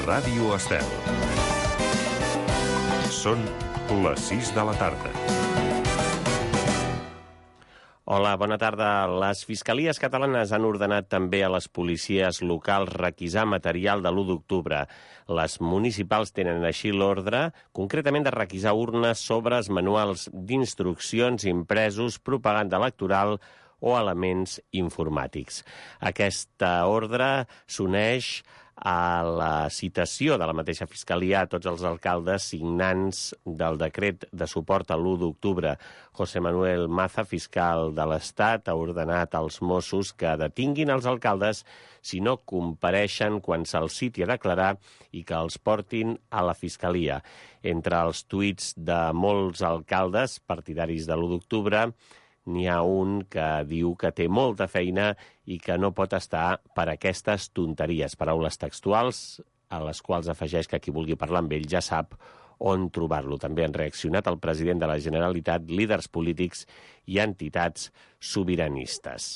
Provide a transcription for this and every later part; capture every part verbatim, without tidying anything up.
Ràdio Estel. Són les sis de la tarda. Hola, bona tarda. Les fiscalies catalanes han ordenat també a les policies locals requisar material de l'u d'octubre. Les municipals tenen així l'ordre, concretament de requisar urnes, sobres, manuals d'instruccions, impresos, propaganda electoral o elements informàtics. Aquesta ordre s'uneix a la citació de la mateixa Fiscalia a tots els alcaldes signants del decret de suport a l'u d'octubre. José Manuel Maza, fiscal de l'Estat, ha ordenat als Mossos que detinguin els alcaldes si no compareixen quan se'ls citi a declarar i que els portin a la Fiscalia. Entre els tuits de molts alcaldes partidaris de l'u d'octubre n'hi ha un que diu que té molta feina i que no pot estar per aquestes tonteries. Paraules textuals a les quals afegeix que qui vulgui parlar amb ell ja sap on trobar-lo. També han reaccionat el president de la Generalitat, líders polítics i entitats sobiranistes.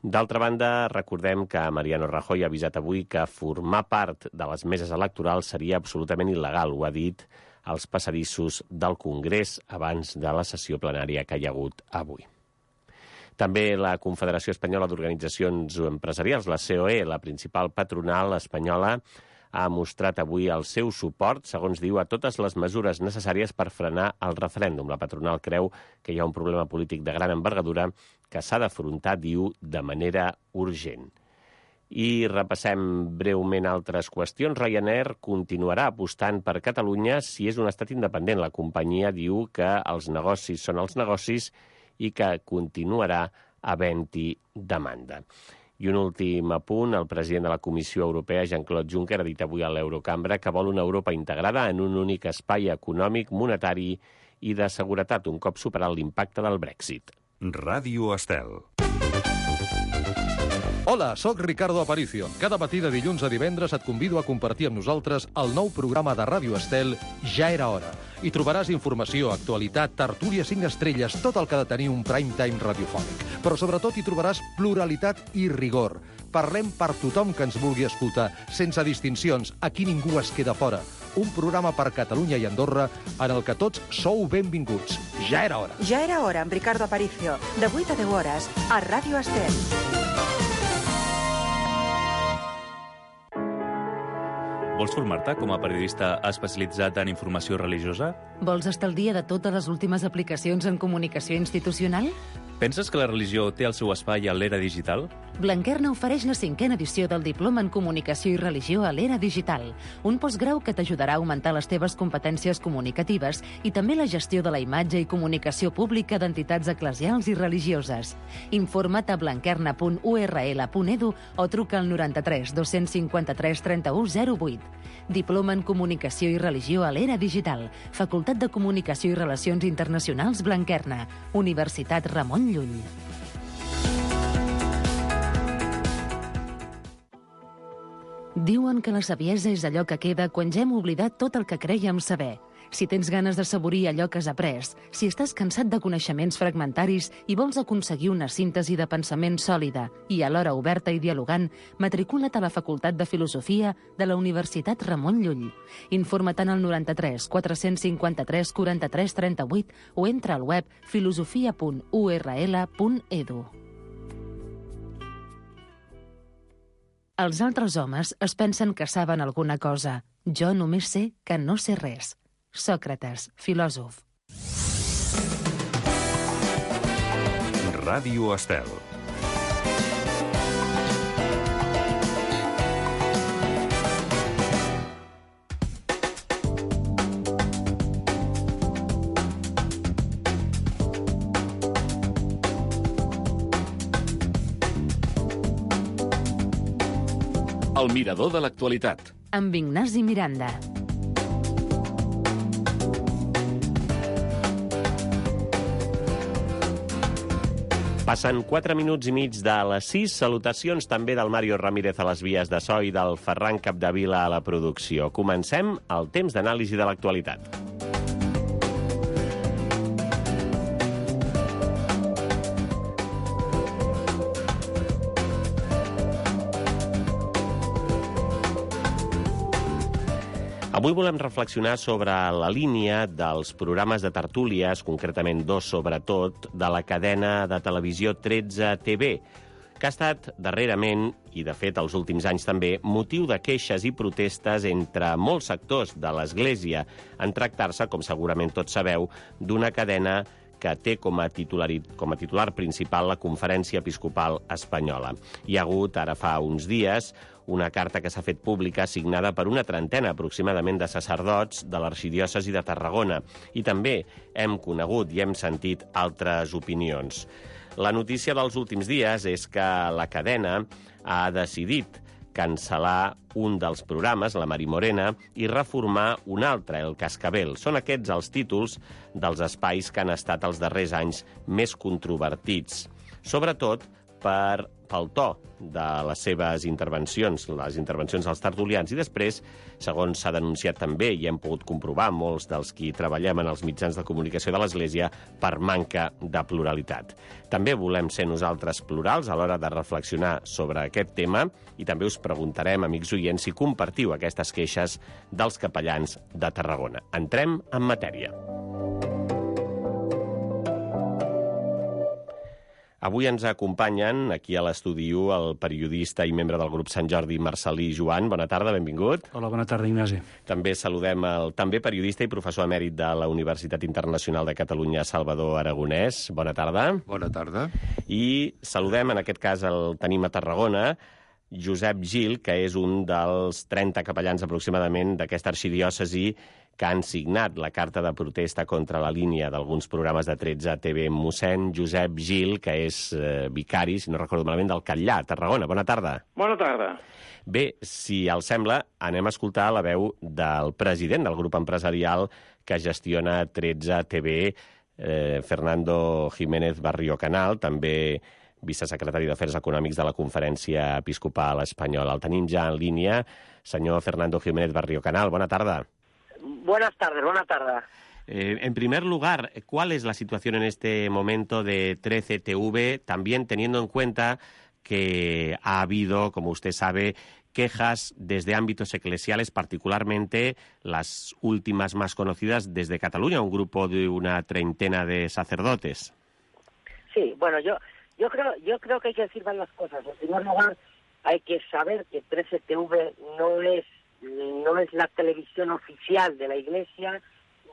D'altra banda, recordem que Mariano Rajoy ha avisat avui que formar part de les meses electorals seria absolutament il·legal. Ho ha dit als passadissos del Congrés abans de la sessió plenària que hi ha hagut avui. També la Confederació Espanyola d'Organitzacions Empresarials, la C O E, la principal patronal espanyola, ha mostrat avui el seu suport, segons diu, a totes les mesures necessàries per frenar el referèndum. La patronal creu que hi ha un problema polític de gran envergadura que s'ha d'afrontar, diu, de manera urgent. I repassem breument altres qüestions. Ryanair continuarà apostant per Catalunya si és un estat independent. La companyia diu que els negocis són els negocis i que continuarà havent-hi demanda. I un últim apunt, el president de la Comissió Europea, Jean-Claude Juncker, ha dit avui a l'Eurocambra que vol una Europa integrada en un únic espai econòmic, monetari i de seguretat, un cop superat l'impacte del Brexit. Ràdio Estel. Hola, sóc Ricardo Aparicio. Cada matí de dilluns a divendres et convido a compartir amb nosaltres el nou programa de Ràdio Estel Ja era hora. Hi trobaràs informació, actualitat, tertúlia cinc estrelles, tot el que ha de tenir un prime time radiofònic. Però sobretot hi trobaràs pluralitat i rigor. Parlem per tothom que ens vulgui escoltar, sense distincions, aquí ningú es queda fora. Un programa per Catalunya i Andorra en el que tots sou benvinguts. Ja era hora. Ja era hora amb Ricardo Aparicio, de vuit a deu hores, a Ràdio Estel. Vols formar-te com a periodista especialitzat en informació religiosa? Vols estar al dia de totes les últimes aplicacions en comunicació institucional? Penses que la religió té el seu espai a l'era digital? Blanquerna ofereix la cinquena edició del Diploma en Comunicació i Religió a l'era digital, un postgrau que t'ajudarà a augmentar les teves competències comunicatives i també la gestió de la imatge i comunicació pública d'entitats eclesials i religioses. Informa't a blanquerna punt u erra ele punt edu o truca al noranta-tres dos-cents cinquanta-tres trenta-u zero vuit. Diploma en Comunicació i Religió a l'era digital, Facultat de Comunicació i Relacions Internacionals Blanquerna, Universitat Ramon Llull. Diuen que la saviesa és allò que queda quan ja hem oblidat tot el que crèiem saber. Si tens ganes de saborir allò que has après, si estàs cansat de coneixements fragmentaris i vols aconseguir una síntesi de pensament sòlida i alhora oberta i dialogant, matricula't a la Facultat de Filosofia de la Universitat Ramon Llull. Informa't en el noranta-tres quatre-cents cinquanta-tres quaranta-tres trenta-vuit o entra al web filosofia punt u erra ele punt edu. Els altres homes es pensen que saben alguna cosa. Jo només sé que no sé res. Sòcrates, filòsof. Ràdio Estel. El mirador de l'actualitat. Amb Ignasi Miranda. Passen quatre minuts i mig de les sis. Salutacions també del Mario Ramírez a les vies de so i del Ferran Capdevila a la producció. Comencem el temps d'anàlisi de l'actualitat. Avui volem reflexionar sobre la línia dels programes de tertúlies, concretament dos sobretot, de la cadena de televisió tretze T V, que ha estat darrerament, i de fet els últims anys també, motiu de queixes i protestes entre molts sectors de l'Església en tractar-se, com segurament tots sabeu, d'una cadena que té com a, com a titular principal la Conferència Episcopal Espanyola. Hi ha hagut, ara fa uns dies, una carta que s'ha fet pública signada per una trentena aproximadament de sacerdots de l'arxidiòcesi de Tarragona. I també hem conegut i hem sentit altres opinions. La notícia dels últims dies és que la cadena ha decidit cancel·lar un dels programes, la Mari Morena, i reformar un altre, el Cascabel. Són aquests els títols dels espais que han estat els darrers anys més controvertits, sobretot per, pel to de les seves intervencions, les intervencions dels tertulians, i després, segons s'ha denunciat també, i hem pogut comprovar molts dels qui treballem en els mitjans de comunicació de l'Església, per manca de pluralitat. També volem ser nosaltres plurals a l'hora de reflexionar sobre aquest tema i també us preguntarem, amics oients, si compartiu aquestes queixes dels capellans de Tarragona. Entrem en matèria. Avui ens acompanyen aquí a l'estudi el periodista i membre del grup Sant Jordi, Marcelí Joan. Bona tarda, benvingut. Hola, bona tarda, Ignasi. També saludem el també periodista i professor emèrit de la Universitat Internacional de Catalunya, Salvador Aragonès. Bona tarda. Bona tarda. I saludem, en aquest cas el tenim a Tarragona, Josep Gil, que és un dels trenta capellans aproximadament d'aquesta arxidiòcesi que han signat la carta de protesta contra la línia d'alguns programes de tretze T V. Mossèn Josep Gil, que és eh, vicari, si no recordo malament, del Catllar, Tarragona. Bona tarda. Bona tarda. Bé, si els sembla, anem a escoltar la veu del president del grup empresarial que gestiona tretze T V, eh, Fernando Jiménez Barrio Canal, també vicesecretari d'Afers Econòmics de la Conferència Episcopal Espanyola. El tenim ja en línia. Senyor Fernando Jiménez Barrio Canal, bona tarda. Buenas tardes, buena tarde. Eh, en primer lugar, ¿cuál es la situación en este momento de trece T V, también teniendo en cuenta que ha habido, como usted sabe, quejas desde ámbitos eclesiales, particularmente las últimas más conocidas desde Cataluña, un grupo de una treintena de sacerdotes? Sí, bueno, yo yo creo yo creo que hay que decir varias cosas. En primer lugar, hay que saber que trece T V no es no es la televisión oficial de la Iglesia,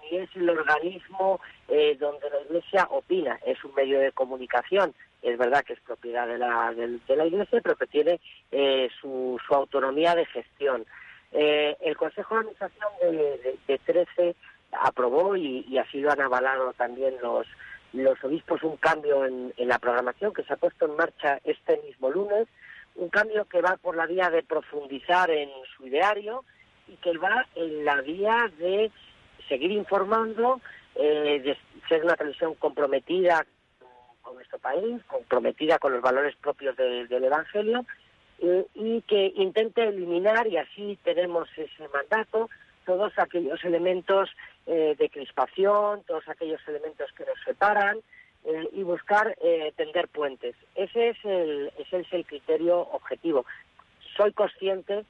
ni es el organismo eh, donde la Iglesia opina. Es un medio de comunicación. Es verdad que es propiedad de la, de, de la Iglesia, pero que tiene eh, su, su autonomía de gestión. Eh, el Consejo de Administración de, de, de trece aprobó, y, y así lo han avalado también los, los obispos, un cambio en, en la programación que se ha puesto en marcha este mismo lunes, un cambio que va por la vía de profundizar en su ideario y que va en la vía de seguir informando, eh, de ser una televisión comprometida con nuestro país, comprometida con los valores propios de, del Evangelio, eh, y que intente eliminar, y así tenemos ese mandato, todos aquellos elementos eh, de crispación, todos aquellos elementos que nos separan, Eh, y buscar eh, tender puentes. Ese es el, ese es el criterio objetivo. Soy consciente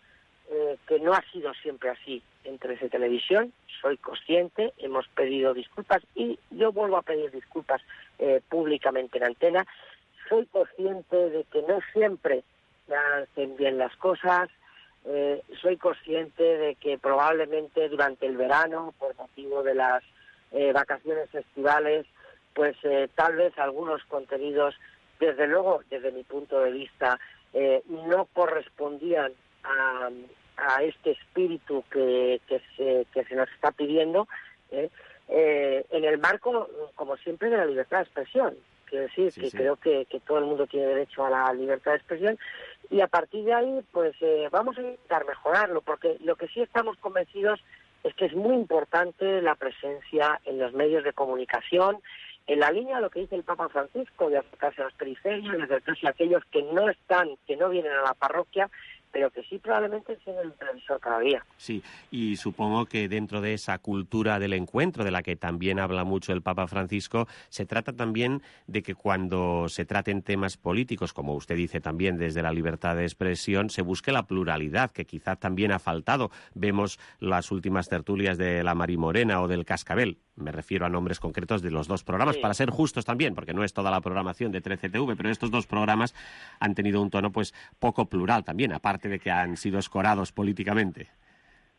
eh, que no ha sido siempre así en trece Televisión, soy consciente, hemos pedido disculpas y yo vuelvo a pedir disculpas eh, públicamente en antena. Soy consciente de que no siempre me hacen bien las cosas, eh, soy consciente de que probablemente durante el verano, por motivo de las eh, vacaciones estivales, pues eh, tal vez algunos contenidos, desde luego, desde mi punto de vista, eh, no correspondían a, a este espíritu que, que, se, que se nos está pidiendo, eh, eh, en el marco, como siempre, de la libertad de expresión. Quiero decir sí, que sí. creo que, que todo el mundo tiene derecho a la libertad de expresión, y a partir de ahí, pues eh, vamos a intentar mejorarlo, porque lo que sí estamos convencidos es que es muy importante la presencia en los medios de comunicación, en la línea de lo que dice el Papa Francisco, de acercarse a las periferias, de acercarse a aquellos que no están, que no vienen a la parroquia, pero que sí probablemente encienden el televisor cada día. Sí, y supongo que dentro de esa cultura del encuentro, de la que también habla mucho el Papa Francisco, se trata también de que cuando se traten temas políticos, como usted dice también desde la libertad de expresión, se busque la pluralidad, que quizás también ha faltado. Vemos las últimas tertulias de la Mari Morena o del Cascabel. Me refiero a nombres concretos de los dos programas, sí, para ser justos también, porque no es toda la programación de trece T V, pero estos dos programas han tenido un tono pues poco plural también, aparte de que han sido escorados políticamente.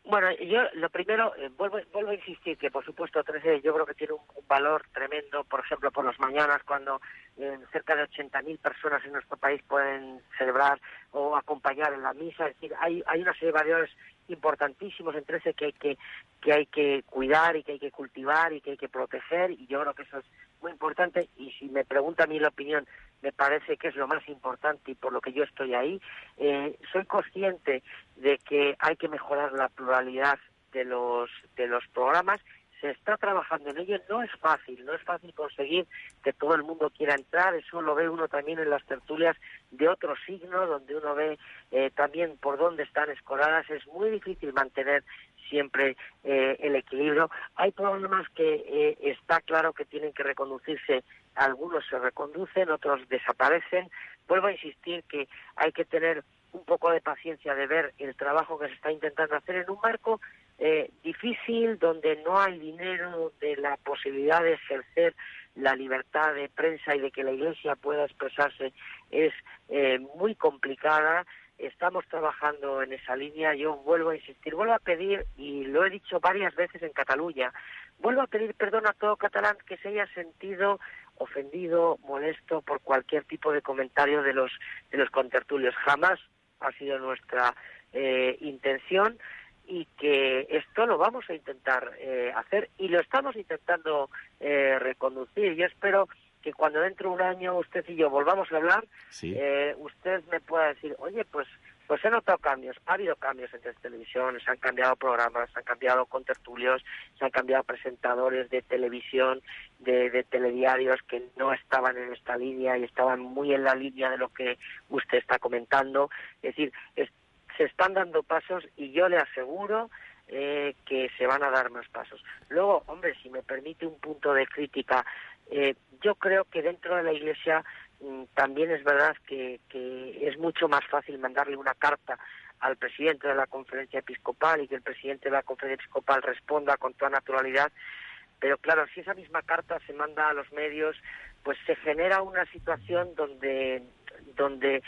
Bueno, yo lo primero, eh, vuelvo, vuelvo a insistir que por supuesto trece yo creo que tiene un, un valor tremendo, por ejemplo, por las mañanas cuando eh, cerca de ochenta mil personas en nuestro país pueden celebrar o acompañar en la misa. Es decir, hay, hay una serie de valores importantísimos en trece que hay que, que hay que cuidar y que hay que cultivar y que hay que proteger, y yo creo que eso es muy importante. Y si me pregunta a mí la opinión, me parece que es lo más importante y por lo que yo estoy ahí. Eh, soy consciente de que hay que mejorar la pluralidad de los de los programas. Se está trabajando en ello, no es fácil, no es fácil conseguir que todo el mundo quiera entrar, eso lo ve uno también en las tertulias de otro signo, donde uno ve eh, también por dónde están escoradas, es muy difícil mantener siempre eh, el equilibrio. Hay programas que eh, está claro que tienen que reconducirse, algunos se reconducen, otros desaparecen. Vuelvo a insistir que hay que tener un poco de paciencia de ver el trabajo que se está intentando hacer en un marco eh, difícil, donde no hay dinero, donde la posibilidad de ejercer la libertad de prensa y de que la Iglesia pueda expresarse es eh, muy complicada. Estamos trabajando en esa línea. Yo vuelvo a insistir, vuelvo a pedir, y lo he dicho varias veces en Cataluña, vuelvo a pedir perdón a todo catalán que se haya sentido ofendido, molesto por cualquier tipo de comentario de los de los contertulios. Jamás ha sido nuestra eh, intención, y que esto lo vamos a intentar eh, hacer y lo estamos intentando eh, reconducir. Yo espero que cuando dentro de un año usted y yo volvamos a hablar, sí, eh, usted me pueda decir, oye, pues pues he notado cambios, ha habido cambios en televisión, se han cambiado programas, se han cambiado contertulios, se han cambiado presentadores de televisión, de, de telediarios que no estaban en esta línea y estaban muy en la línea de lo que usted está comentando. Es decir, es, se están dando pasos y yo le aseguro eh, que se van a dar más pasos. Luego, hombre, si me permite un punto de crítica, eh, yo creo que dentro de la Iglesia también es verdad que, que es mucho más fácil mandarle una carta al presidente de la Conferencia Episcopal y que el presidente de la Conferencia Episcopal responda con toda naturalidad, pero claro, si esa misma carta se manda a los medios, pues se genera una situación donde donde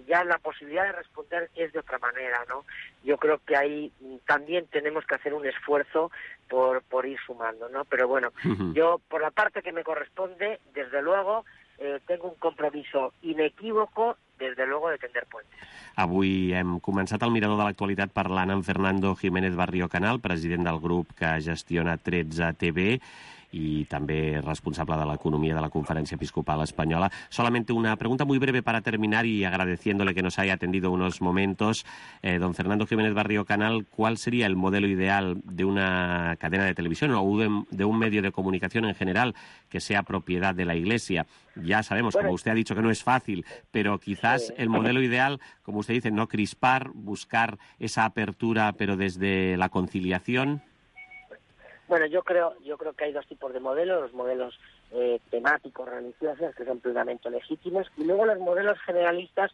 ya la posibilidad de responder es de otra manera, ¿no? Yo creo que ahí también tenemos que hacer un esfuerzo por, por ir sumando, ¿no? Pero bueno, uh-huh. yo por la parte que me corresponde, desde luego, eh, tengo un compromiso inequívoco, desde luego, de tender puentes. Avui hem començat el Mirador de l'Actualitat parlant amb Fernando Jiménez Barrio Canal, president del grup que gestiona trece T V, y también responsable de la economía de la Conferencia Episcopal Española. Solamente una pregunta muy breve para terminar y agradeciéndole que nos haya atendido unos momentos. Eh, don Fernando Jiménez Barrio Canal, ¿cuál sería el modelo ideal de una cadena de televisión o de, de un medio de comunicación en general que sea propiedad de la Iglesia? Ya sabemos, bueno, como usted ha dicho, que no es fácil, pero quizás sí, el modelo ideal, como usted dice, no crispar, buscar esa apertura, pero desde la conciliación. Bueno, yo creo yo creo que hay dos tipos de modelos, los modelos eh, temáticos, religiosos, que son plenamente legítimos, y luego los modelos generalistas,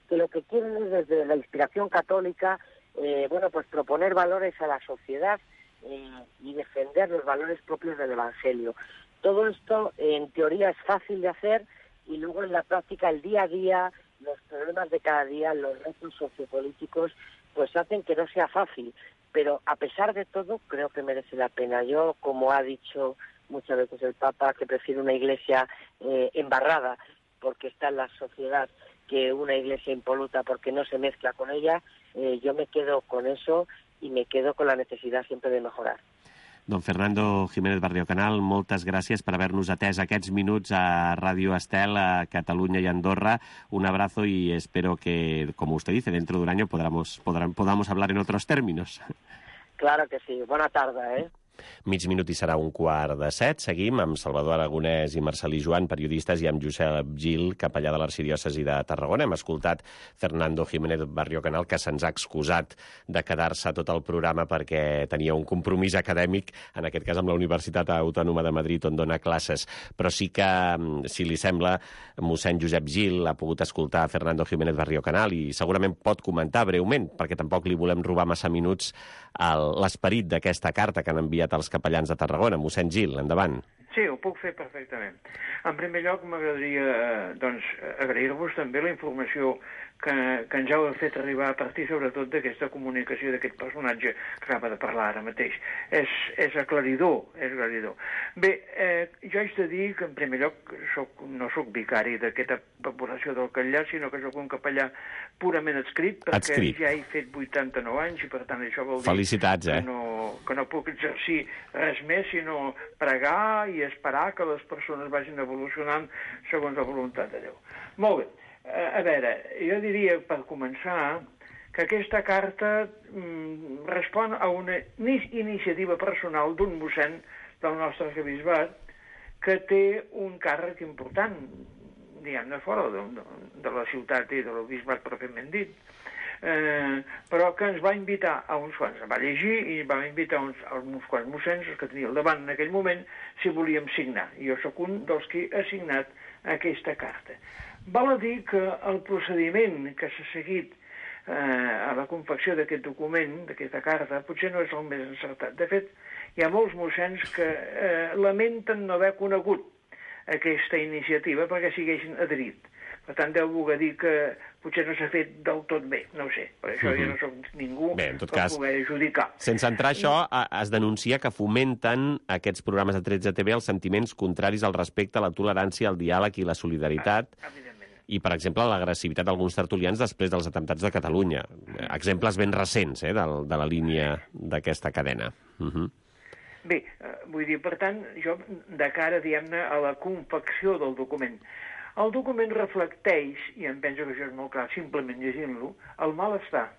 que lo que quieren es desde la inspiración católica, eh, bueno, pues proponer valores a la sociedad eh, y defender los valores propios del Evangelio. Todo esto, en teoría, es fácil de hacer, y luego en la práctica, el día a día, los problemas de cada día, los retos sociopolíticos, pues hacen que no sea fácil. Pero a pesar de todo, creo que merece la pena. Yo, como ha dicho muchas veces el Papa, que prefiero una iglesia eh, embarrada porque está en la sociedad que una iglesia impoluta porque no se mezcla con ella, eh, yo me quedo con eso y me quedo con la necesidad siempre de mejorar. Don Fernando Jiménez Barrio Canal, moltes gràcies per haver-nos atès aquests minuts a Radio Estel, a Cataluña y Andorra. Un abrazo y espero que, como usted dice, dentro de un año podamos, podamos, podamos hablar en otros términos. Claro que sí. Buena tarde, ¿eh? Mig minut i serà un quart de set. Seguim amb Salvador Aragonès i Marcelí Joan, periodistes, i amb Josep Gil, capellà de l'arxidiòcesi de Tarragona. Hem escoltat Fernando Jiménez Barrio Canal, que se'ns ha excusat de quedar-se tot el programa perquè tenia un compromís acadèmic, en aquest cas amb la Universitat Autònoma de Madrid, on dona classes. Però sí que, si li sembla, mossèn Josep Gil ha pogut escoltar Fernando Jiménez Barrio Canal i segurament pot comentar breument, perquè tampoc li volem robar massa minuts, l'esperit d'aquesta carta que han enviat els capellans de Tarragona. Mossèn Gil, endavant. Sí, ho puc fer perfectament. En primer lloc, m'agradaria doncs, agrair-vos també la informació que, que ens heu fet arribar a partir, sobretot, d'aquesta comunicació d'aquest personatge que acaba de parlar ara mateix. És, és aclaridor, és aclaridor. Bé, eh, jo haig de dir que, en primer lloc, soc, no sóc vicari d'aquesta població del Catllar, sinó que sóc un capellà purament adscrit, perquè adscrit. Ja he fet vuitanta-nou anys, i per tant això vol dir Felicitats, eh? que, no, que no puc exercir res més, sinó pregar i esperar que les persones vagin evolucionant segons la voluntat de Déu. Molt bé. A veure, jo diria, per començar, que aquesta carta mm, respon a una iniciativa personal d'un mossèn del nostre arquebisbat que té un càrrec important, diguem-ne, fora de, de, de la ciutat i del bisbat pròpiament dit, eh, però que ens va invitar a uns quants, va llegir i va invitar uns, a uns quants mossèns, els que tenia al davant en aquell moment, si volíem signar. Jo sóc un dels que ha signat aquesta carta. Val a dir que el procediment que s'ha seguit eh, a la confecció d'aquest document, d'aquesta carta, potser no és el més encertat. De fet, hi ha molts mossens que eh, lamenten no haver conegut aquesta iniciativa perquè s'hi haguessin adherit. Per tant, deu voler dir que potser no s'ha fet del tot bé, no ho sé. Per això mm-hmm. jo no soc ningú bé, en tot per cas, poder adjudicar. Sense entrar això, es denuncia que fomenten aquests programes de tretze T V els sentiments contraris al respecte, a la tolerància, al diàleg i la solidaritat. Ah, i, per exemple, l'agressivitat d'alguns tertulians després dels atemptats de Catalunya. Exemples ben recents eh, de, de la línia d'aquesta cadena. Uh-huh. Bé, eh, vull dir, per tant, jo, de cara, diguem-ne, a la confecció del document, el document reflecteix, i em penso que això és molt clar, simplement llegint-lo, el malestar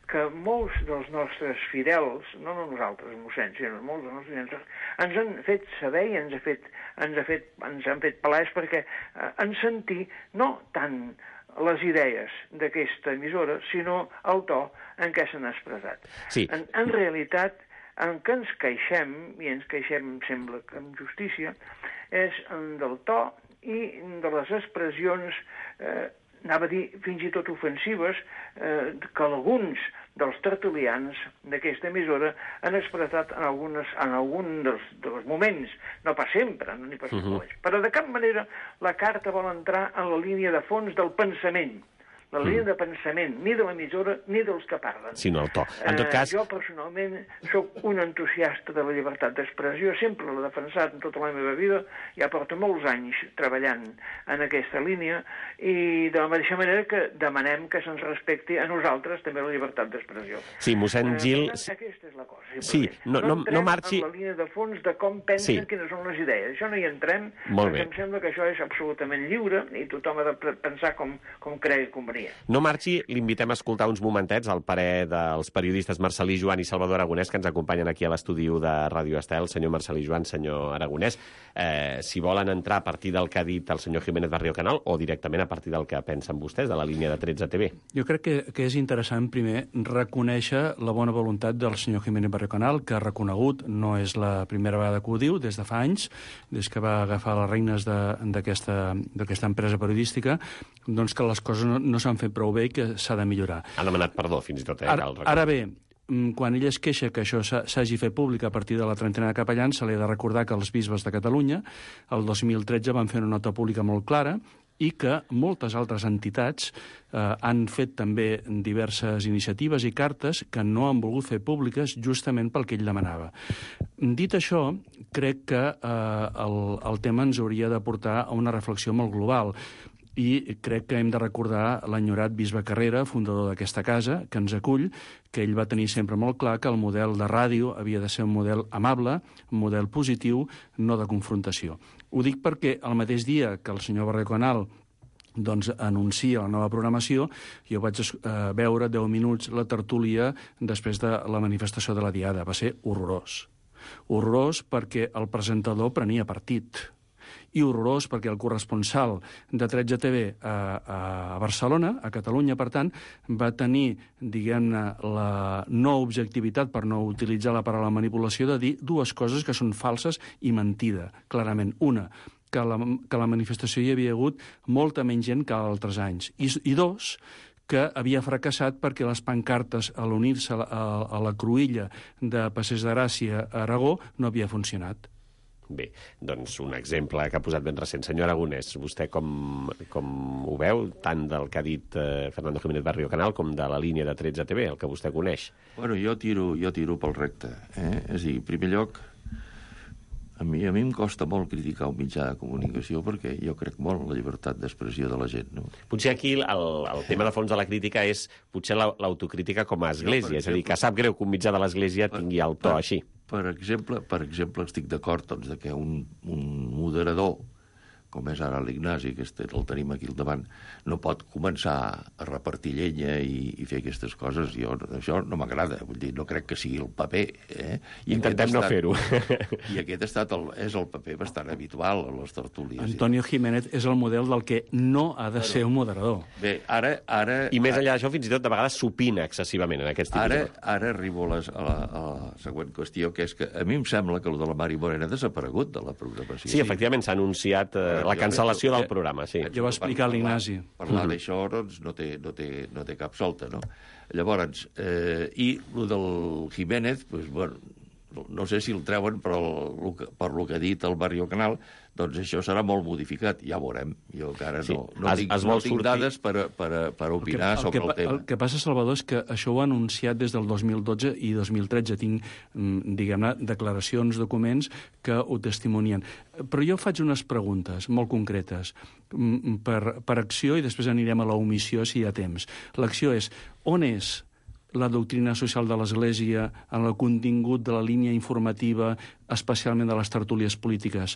que molts dels nostres fidels, no, no nosaltres, mossens, sinó molts dels nostres fidels, ens han fet saber i ens, ha fet, ens, ha fet, ens han fet palès perquè eh, en sentir no tant les idees d'aquesta emissora, sinó el to en què s'han expressat. Sí. En, en realitat, en què ens queixem, i ens queixem, sembla que amb justícia, és del to i de les expressions, eh, anava a dir fins i tot ofensives, eh, que alguns dels tertulians d'aquesta emissora han expressat en, algunes, en algun dels, dels moments, no pas sempre, no n'hi pas uh-huh. però de cap manera la carta vol entrar en la línia de fons del pensament, la línia mm. de pensament, ni de l'emissora ni dels que parlen. Sinó el to. En tot cas... Eh, jo, personalment, sóc un entusiasta de la llibertat d'expressió, sempre l'he defensat en tota la meva vida, ja porto molts anys treballant en aquesta línia, i de la mateixa manera que demanem que se'ns respecti a nosaltres també la llibertat d'expressió. Sí, mossèn Gil... Eh, aquesta és la cosa. Sí, no, no, no, no marxi... en la línia de fons de com pensen, sí. quines són les idees. Això no hi entrem, Molt perquè bé. em sembla que això és absolutament lliure i tothom ha de pensar com, com cregui convenient. No marxi, l'invitem a escoltar uns momentets al parer dels periodistes Marcelí Joan i Salvador Aragonès, que ens acompanyen aquí a l'estudi de Ràdio Estel. Senyor Marcelí Joan, senyor Aragonès, eh, si volen entrar a partir del que ha dit el senyor Jiménez Barrio Canal o directament a partir del que pensen vostès de la línia de tretze T V. Jo crec que, que és interessant, primer, reconèixer la bona voluntat del senyor Jiménez Barrio Canal, que ha reconegut, no és la primera vegada que ho diu, des de fa anys, des que va agafar les regnes d'aquesta empresa periodística, doncs que les coses no, no s'han fet prou bé i que s'ha de millorar. Han demanat perdó, fins i tot. Eh, ara, ara bé, quan ell es queixa que això s'hagi fet públic a partir de la trentena de capellans, se li ha de recordar que els bisbes de Catalunya el dos mil tretze van fer una nota pública molt clara i que moltes altres entitats eh, han fet també diverses iniciatives i cartes que no han volgut fer públiques justament pel que ell demanava. Dit això, crec que eh, el, el tema ens hauria de portar a una reflexió molt global. I crec que hem de recordar l'enyorat bisbe Carrera, fundador d'aquesta casa, que ens acull, que ell va tenir sempre molt clar que el model de ràdio havia de ser un model amable, un model positiu, no de confrontació. Ho dic perquè el mateix dia que el senyor Barrio Canal doncs, anuncia la nova programació, jo vaig eh, veure deu minuts la tertúlia després de la manifestació de la Diada. Va ser horrorós. Horrorós perquè el presentador prenia partit. I horrorós perquè el corresponsal de tretze T V a, a Barcelona, a Catalunya, per tant, va tenir, diguem-ne, la no objectivitat, per no utilitzar la paraula manipulació, de dir dues coses que són falses i mentida, clarament. Una, que la, que la manifestació hi havia hagut molta menys gent que altres anys. I, i dos, que havia fracassat perquè les pancartes, a l'unir-se a, a, a la cruïlla de Passeig de Gràcia a Aragó, no havia funcionat. Bé, doncs un exemple que ha posat ben recent. Senyor Aragonès, vostè com, com ho veu, tant del que ha dit eh, Fernando Jiménez Barrio Canal com de la línia de tretze T V, el que vostè coneix? Bueno, jo tiro, jo tiro pel recte. Eh? És a dir, en primer lloc, a mi, a mi em costa molt criticar un mitjà de comunicació perquè jo crec molt en la llibertat d'expressió de la gent. No? Potser aquí el, el tema de fons de la crítica és potser l'autocrítica com a església, és a dir, que sap greu que un mitjà de l'església tingui el to així. Per exemple, per exemple estic d'acord doncs, de que un, un moderador, com és ara l'Ignasi, que este, el tenim aquí al davant, no pot començar a repartir llenya i, i fer aquestes coses. Jo, això no m'agrada, vull dir, no crec que sigui el paper. Eh? I intentem no fer-ho. I aquest ha estat el, és el paper bastant habitual a les tertúlies. Antonio Jiménez és el model del que no ha de ser un moderador. Bé, ara... ara I més enllà d'això, fins i tot de vegades s'opina excessivament en aquests tipus ara, de... Ara arribo a la, a, la, a la següent qüestió, que és que a mi em sembla que el de la Mari Morena ha desaparegut de la programació. Sí, efectivament, s'ha anunciat eh, la cancel·lació del programa, sí. Ja ho va explicar l'Ignasi. Parlar d'això doncs, no, té, no, té, no té cap solta, no? Llavors, eh, i el del Jiménez, doncs, bueno, no sé si el treuen per, el, per lo que ha dit el Barrio Canal, doncs això serà molt modificat, ja veurem. Jo encara sí. no, no es, tinc, es no tinc tinc dades per, per, per opinar el que, el sobre que, el tema. El que passa, Salvador, és que això ho ha anunciat des del dos mil dotze i dos mil tretze. Tinc, diguem-ne, declaracions, documents que ho testimonien. Però jo faig unes preguntes molt concretes per, per acció i després anirem a la omissió si hi ha temps. L'acció és, on és la doctrina social de l'Església en el contingut de la línia informativa, especialment de les tertúlies polítiques?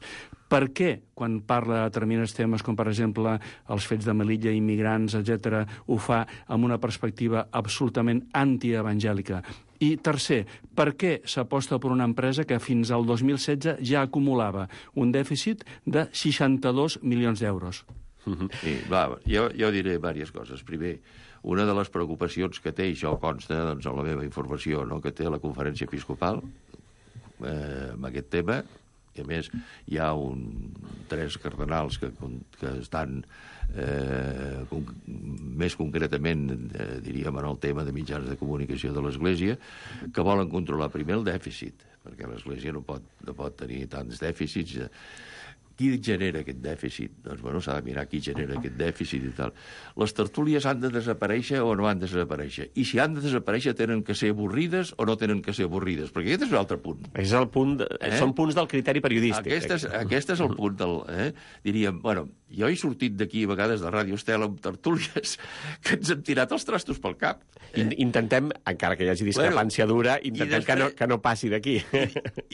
Per què, quan parla de determinats temes, com per exemple els fets de Melilla, immigrants, etcètera, ho fa amb una perspectiva absolutament antievangèlica? I tercer, per què s'aposta per una empresa que fins al dos mil setze ja acumulava un dèficit de seixanta-dos milions d'euros? Sí, va, jo, jo diré diverses coses. Primer, una de les preocupacions que té, i això consta doncs, en la meva informació, no?, que té la conferència episcopal eh, amb aquest tema, i a més hi ha un, tres cardenals que, que estan eh, con, més concretament, eh, diríem, en el tema de mitjans de comunicació de l'Església, que volen controlar primer el dèficit, perquè l'Església no pot, no pot tenir tants dèficits. Qui genera aquest dèficit? Doncs, bueno, s'ha de mirar qui genera aquest dèficit i tal. Les tertúlies han de desaparèixer o no han de desaparèixer? I si han de desaparèixer, tenen que ser avorrides o no tenen que ser avorrides? Perquè aquest és un altre punt. És el punt de... eh? Són punts del criteri periodístic. Aquest és, aquest és el punt del... Eh? Diríem, bueno, jo he sortit d'aquí a vegades de Ràdio Estel amb tertúlies que ens hem tirat els trastos pel cap. Eh? Intentem, encara que hi hagi discrepància bueno, dura, intentem després, que, no, que no passi d'aquí. I,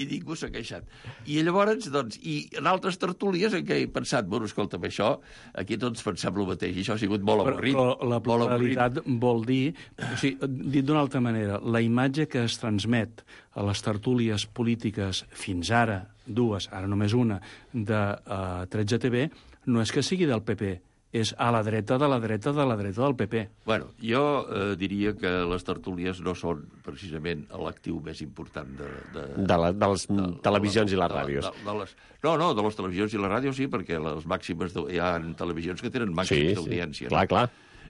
I ningú s'ha queixat. I llavors, doncs, i en altres tertúlies tertúlies en què he pensat, bueno, escolta'm, això, aquí tots pensem el mateix, i això ha sigut molt avorrit. Però, però la pluralitat vol dir, o sigui, dit d'una altra manera, la imatge que es transmet a les tertúlies polítiques fins ara, dues, ara només una, de uh, tretze T V, no és que sigui del P P, és a la dreta de la dreta de la dreta del P P. Bueno, jo eh, diria que les tertúlies no són precisament l'actiu més important de... De, de, la, de les de, televisions de, i les ràdios. De, de, de les, no, no, de les televisions i les ràdios sí, perquè les màximes de, hi ha televisions que tenen màximes sí, d'audiència. Sí, clar, clar.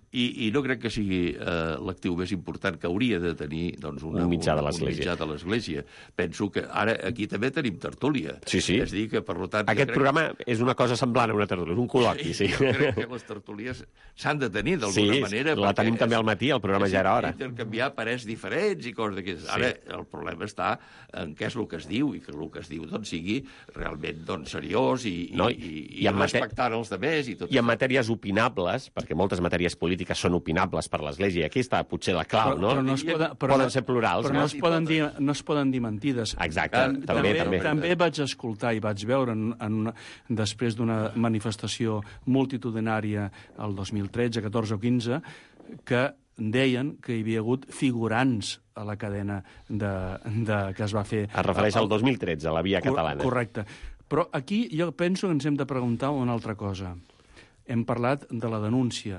I, i no crec que sigui eh, l'actiu més important que hauria de tenir doncs, una, un mitjà de l'Església. Penso que ara aquí també tenim tertúlia. Sí, sí. És dir, que per tant... Aquest crec... programa és una cosa semblant a una tertúlia, és un col·loqui, sí. Jo crec que les tertúlies s'han de tenir d'alguna sí, manera. Sí, la tenim és, també al matí, el programa ja era hora. Intercanviar parers diferents i coses d'aquestes. Ara, sí. El problema està en què és el que es diu, i que el que es diu doncs, sigui realment doncs, seriós i, no, i, i, i, i respectant els demés. I, tot I en matèries opinables, perquè moltes matèries polítiques són opinables per l'Església, i aquí està potser la clau, però, no? Però no es poden, però poden ser plurals. Però no, no, es poden dir, no es poden dir mentides. Exacte, en, també, també. També vaig escoltar i vaig veure, en, en una, després d'una manifestació multitudinària el dos mil tretze, catorze o quinze, que deien que hi havia hagut figurants a la cadena de, de, que es va fer... Es refereix al dos mil tretze, a la Via Catalana. Correcte. Però aquí jo penso que ens hem de preguntar una altra cosa. Hem parlat de la denúncia,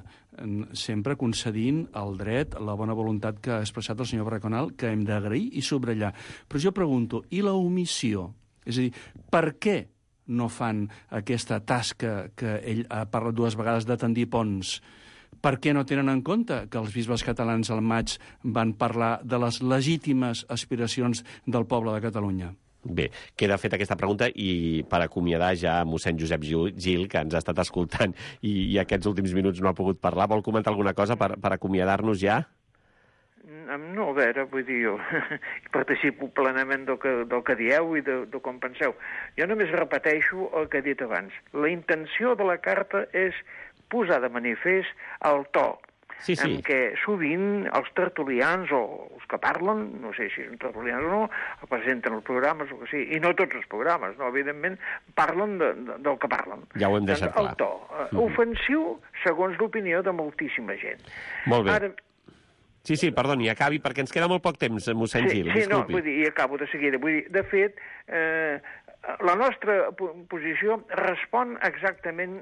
sempre concedint el dret, la bona voluntat que ha expressat el senyor Braconal, que hem d'agrair i subratllar. Però jo pregunto, i la omissió? És a dir, per què no fan aquesta tasca que ell ha parlat dues vegades de tendir ponts? Per què no tenen en compte que els bisbes catalans al maig van parlar de les legítimes aspiracions del poble de Catalunya? Bé, queda feta aquesta pregunta i per acomiadar ja mossèn Josep Gil, que ens ha estat escoltant i, i aquests últims minuts no ha pogut parlar. Vol comentar alguna cosa per, per acomiadar-nos ja? No, a veure, vull dir, jo participo plenament del que, del que dieu i de, de com penseu. Jo només repeteixo el que he dit abans. La intenció de la carta és posar de manifest el to sí, sí. en què sovint els tertulians o els que parlen, no sé si són tertulians o no, presenten els programes o que sí, i no tots els programes, no, evidentment parlen de, de, del que parlen. Ja ho hem deixat doncs, clar. El to, mm. ofensiu segons l'opinió de moltíssima gent. Molt bé. Ara, Sí, sí, perdoni, acabi, perquè ens queda molt poc temps, mossèn sí, Gil, sí, disculpi. No, vull dir, i acabo de seguida. Vull dir, de fet, eh, la nostra posició respon exactament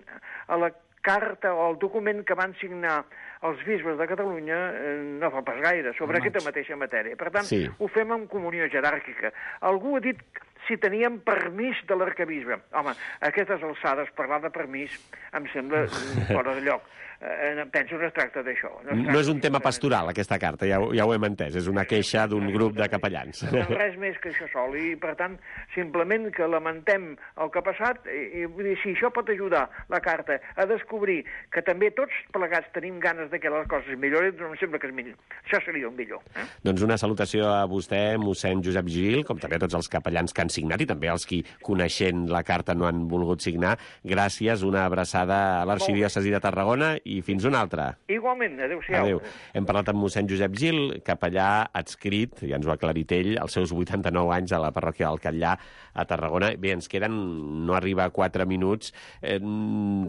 a la carta o al document que van signar els bisbes de Catalunya eh, no fa pas gaire, sobre aquesta mateixa matèria. Per tant, sí. ho fem en comunió jeràrquica. Algú ha dit si teníem permís de l'arquebisbe. Home, a aquestes alçades parlar de permís em sembla fora de lloc. Eh, penso que es tracta d'això. No, no és un tema pastoral, aquesta carta, ja ho, ja ho hem entès. És una queixa d'un grup de capellans. No res més que això sol. I, per tant, simplement que lamentem el que ha passat. I, i vull dir, si això pot ajudar la carta a descobrir que també tots plegats tenim ganes de que les coses millorin, doncs em sembla que és millor. Això seria el millor. Eh? Doncs una salutació a vostè, mossèn Josep Gil, com també a tots els capellans que han signat i també als qui, coneixent la carta, no han volgut signar. Gràcies, una abraçada a l'arxidiòcesi de Tarragona i fins una altra. Igualment, adéu-siau. Adéu. Hem parlat amb mossèn Josep Gil, capellà adscrit, ja ens ho ha aclarit ell, als seus vuitanta-nou anys a la parròquia del Catllà, a Tarragona. Bé, ens queden, no arriba a quatre minuts. Eh,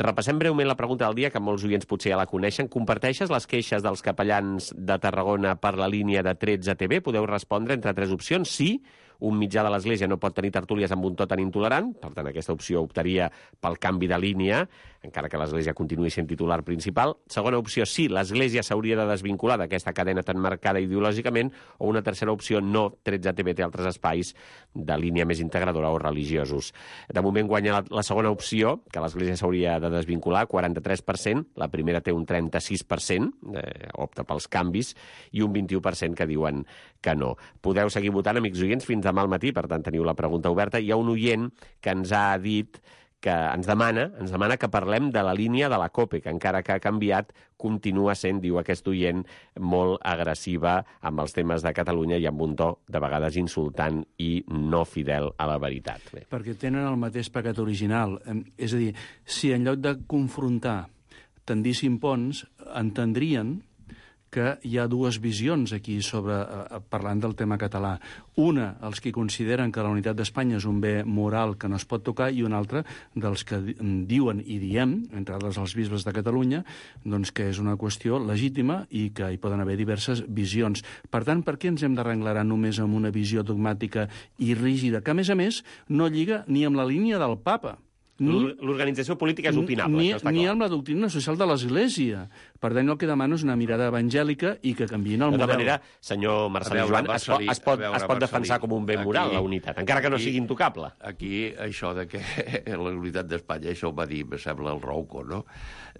repassem breument la pregunta del dia, que molts oients potser ja la coneixen. Comparteixes les queixes dels capellans de Tarragona per la línia de tretze T V? Podeu respondre entre tres opcions. Sí, un mitjà de l'Església no pot tenir tertúlies amb un to tan intolerant, per tant aquesta opció optaria pel canvi de línia, encara que l'Església continuï sent titular principal. Segona opció, sí, l'Església s'hauria de desvincular d'aquesta cadena tan marcada ideològicament, o una tercera opció, no, tretze T V té altres espais de línia més integradora o religiosos. De moment guanya la, la segona opció, que l'Església s'hauria de desvincular, quaranta-tres per cent, la primera té un trenta-sis per cent, eh, opta pels canvis, i un vint-i-u per cent que diuen que no. Podeu seguir votant, amics oients, fins demà al matí, per tant teniu la pregunta oberta. Hi ha un oient que ens ha dit que ens demana, ens demana que parlem de la línia de la COPE, que encara que ha canviat, continua sent, diu aquest oient, molt agressiva amb els temes de Catalunya i amb un to de vegades insultant i no fidel a la veritat. Bé. Perquè tenen el mateix pecat original. És a dir, si en lloc de confrontar tendíssim ponts, entendrien que hi ha dues visions aquí sobre, eh, parlant del tema català. Una, els que consideren que la unitat d'Espanya és un bé moral que no es pot tocar, i una altra, dels que diuen i diem, entre altres els bisbes de Catalunya, doncs que és una qüestió legítima i que hi poden haver diverses visions. Per tant, per què ens hem d'arrenglerar només amb una visió dogmàtica i rígida, que a més a més no lliga ni amb la línia del papa? L'organització política és opinable, ni, això està clar. Ni amb la doctrina social de l'Església. Per tant, el que demano és una mirada evangèlica i que canviïn el model. model. De manera, senyor Marcelí veure, Joan, Marcelí, es pot, es pot, veure, es pot defensar com un bé moral, aquí, la unitat, encara que no aquí, sigui intocable. Aquí, això de que la unitat d'Espanya, això ho va dir, me sembla, el Rouco, no?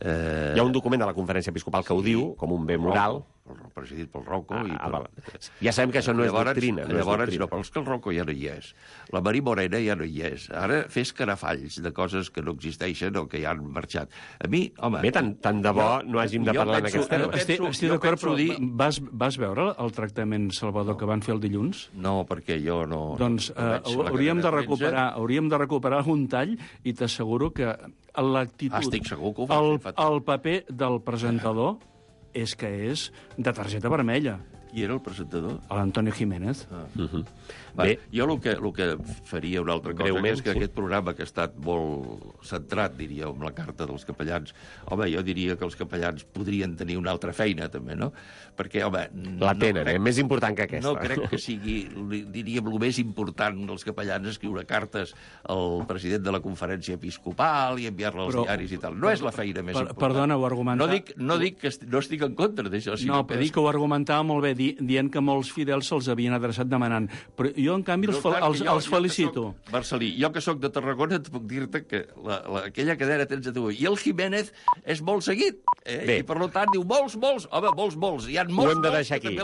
Eh... Hi ha un document de la Conferència Episcopal que sí, ho diu, com un bé moral. Rouco, presidit pel Rouco. Ah, i per... ah, ja sabem que això no llavors, és doctrina. No llavors, és doctrina. no, però és que el Rouco ja no hi és. La Marí Morena ja no hi és. Ara fes carafalls de coses que no existeixen o que ja han marxat. A mi, home... Bé, tant, tant de bo jo, no hàgim de parlar en aquest tema. Estic, estic d'acord, però dir, vas, vas veure el tractament, Salvador, no. que van fer el dilluns? No, perquè jo no... Doncs no uh, hauríem, de recuperar, hauríem de recuperar un tall i t'asseguro que l'actitud... Estic segur que ho va el, fer. El paper del presentador és que és de targeta vermella. Qui era el presentador? L'Antonio Jiménez. Ah. Uh-huh. Bé, jo el que, el que faria una altra cosa, que és que sí. aquest programa que ha estat molt centrat, diria, amb la carta dels capellans, home, jo diria que els capellans podrien tenir una altra feina, també, no? Perquè, home... La tenen, no crec, eh? Més important que aquesta. No crec que sigui, diríem, el més important dels capellans escriure cartes al president de la conferència episcopal i enviar-la als Però, diaris i tal. No és la feina més per, important. Perdona, ho argumenta... No dic, no dic que est no estic en contra d'això, sinó no, que però dic... és que ho argumentava molt bé, di dient que molts fidels se'ls havien adreçat demanant. Però jo, en canvi, els, Però, clar, els, jo, els felicito. Jo soc, Marcelí, jo que sóc de Tarragona et puc dir-te que la, la, aquella cadena tens a tu. I el Jiménez és molt seguit. Eh? I per tant diu molts, molts, home, molts, molts. Hi ha molts, ho hem de molts, deixar aquí.